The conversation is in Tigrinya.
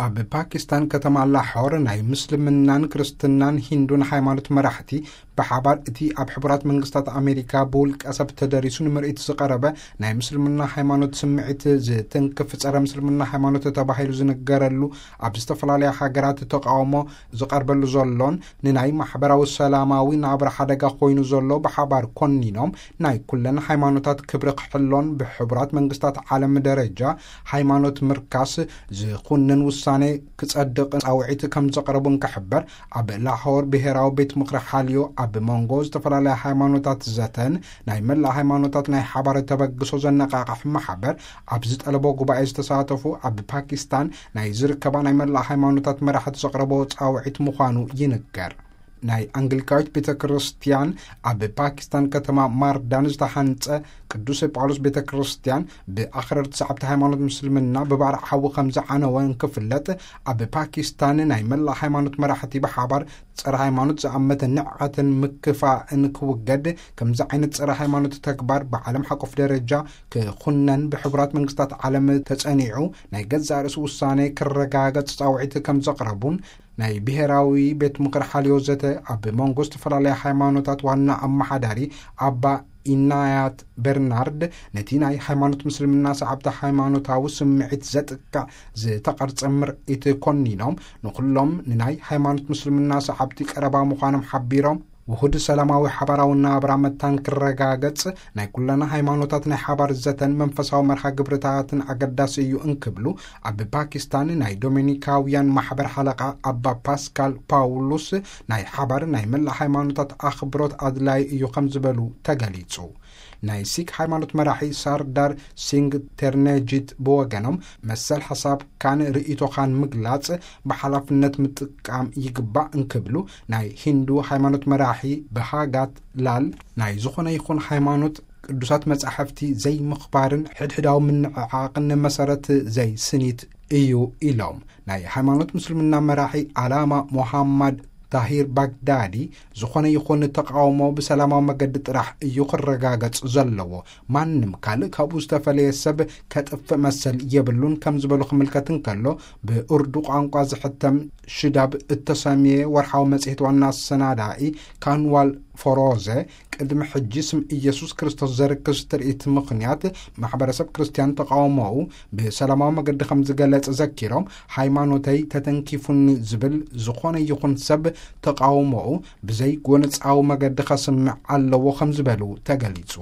ኣብ ፓኪስታን ከተማ ላሖር ናይ ምስልምናን ክርስትናን ሂንዱን ሃይማኖት መራሕቲ ብሓባር እቲ ኣብ ሕቡራት መንግስታት ኣሜሪካ ብውልቀ ሰብ ተደሪሱ ንምርኢት ዝቐረበ ናይ ምስልምና ሃይማኖት ስምዒት ዝትንክፍ ጸረ ምስልምና ሃይማኖት ተባሂሉ ዝንገረሉ ኣብ ዝተፈላለያ ሃገራት ተቃውሞ ዝቐርበሉ ዘሎን ንናይ ማሕበራዊ ሰላማዊ ናብራ ሓደጋ ኮይኑ ዘሎ ብሓባር ኮኒኖም ናይ ኩለን ሃይማኖታት ክብሪ ክሕሎን ብሕቡራት መንግስታት ዓለም ደረጃ ሃይማኖት ምርካስ ዝኹንን ውሳኔ ክጸድቕ ጻውዒት ከም ዘቕረቡ እንክሕበር ኣብ ላሆር ብሔራዊ ቤት ምኽሪ ሓልዮ ኣብ መንጎ ዝተፈላለያ ሃይማኖታት ዘተን ናይ መላእ ሃይማኖታት ናይ ሓባር ተበግሶ ዘነቃቕሕ ማሕበር ኣብ ዝጠለቦ ጉባኤ ዝተሳተፉ ኣብ ፓኪስታን ናይ ዝርከባ ናይ መላእ ሃይማኖታት መራሕቲ ዘቕረቦ ጻውዒት ምዃኑ ይንገር። ናይ ኣንግሊካዊት ቤተ ክርስቲያን ኣብ ፓኪስታን ከተማ ማርዳን ዝተሓንጸ ቅዱስ ጳውሎስ ቤተ ክርስቲያን ብኣኽረርቲ ሰዓብቲ ሃይማኖት ምስልምና ብባርዕ ሓዊ ከም ዝዓነወ እንክፍለጥ፣ ኣብ ፓኪስታን ናይ መላእ ሃይማኖት መራሕቲ ብሓባር ጸረ ሃይማኖት ዝኣመተ ንዕቐትን ምክፋእን ክውገድ፣ ከምዚ ዓይነት ጸረ ሃይማኖት ተግባር ብዓለም ሓቆፍ ደረጃ ክኹነን ብሕቡራት መንግስታት ዓለም ተጸኒዑ ናይ ገዛእ ርእሱ ውሳኔ ክረጋገጽ ጻውዒት ከም ዘቕረቡን ናይ ብሔራዊ ቤት ምኽሪ ሓልዮ ዘተ ኣብ መንጎ ዝተፈላለያ ሃይማኖታት ዋና ኣመሓዳሪ ኣባ ኢናያት በርናርድ ነቲ ናይ ሃይማኖት ምስልምና ሰዓብቲ ሃይማኖታዊ ስምዒት ዘጥቅዕ ዝተቐርጸ ምርኢት ኮኒኖም ንኹሎም ንናይ ሃይማኖት ምስልምና ሰዓብቲ ቀረባ ምዃኖም ሓቢሮም ውሁድ ሰላማዊ ሓባራዊ ናብራ መታን ክረጋገጽ ናይ ኩለና ሃይማኖታት ናይ ሓባር ዘተን መንፈሳዊ መርሃ ግብርታትን ኣገዳሲ እዩ እንክብሉ ኣብ ፓኪስታን ናይ ዶሚኒካውያን ማሕበር ሓለቓ ኣባ ፓስካል ፓውሉስ ናይ ሓባር ናይ መላእ ሃይማኖታት ኣኽብሮት ኣድላይ እዩ ከም ዝበሉ ተገሊጹ። ናይ ሲክ ሃይማኖት መራሒ ሳርዳር ሲንግ ተርነጂት ብወገኖም መሰል ሓሳብካን ርእይቶኻን ምግላጽ ብሓላፍነት ምጥቃም ይግባእ እንክብሉ ናይ ሂንዱ ሃይማኖት መራሒ ብሃጋት ላል ናይ ዝኾነ ይኹን ሃይማኖት ቅዱሳት መጻሕፍቲ ዘይምኽባርን ሕድሕዳዊ ምንዕዓቕን መሰረት ዘይስኒት እዩ ኢሎም። ናይ ሃይማኖት ምስልምና መራሒ ዓላማ ሞሃማድ ታሂር ባግዳዲ ዝኾነ ይኹን ተቃውሞ ብሰላማዊ መገዲ ጥራሕ እዩ ክረጋገጽ ዘለዎ። ማንም ካልእ ካብኡ ዝተፈለየ ሰብ ከጥፍእ መሰል የብሉን ከም ዝበሉ ክምልከት እንከሎ ብኡርዱ ቋንቋ ዝሕተም ሽዳብ እተሰምየ ወርሓዊ መጽሔት ዋና ኣሰናዳኢ ካንዋል ፎሮዘ ቅድሚ ሕጂ ስም ኢየሱስ ክርስቶስ ዘርክስ ትርኢት ምኽንያት ማሕበረሰብ ክርስትያን ተቃውሞኡ ብሰላማዊ መገዲ ከም ዝገለጸ ዘኪሮም ሃይማኖተይ ተተንኪፉኒ ዝብል ዝኾነ ይኹን ሰብ ተቃውሞኡ ብዘይ ጎነጻዊ መገዲ ከስምዕ ኣለዎ ከም ዝበሉ ተገሊጹ።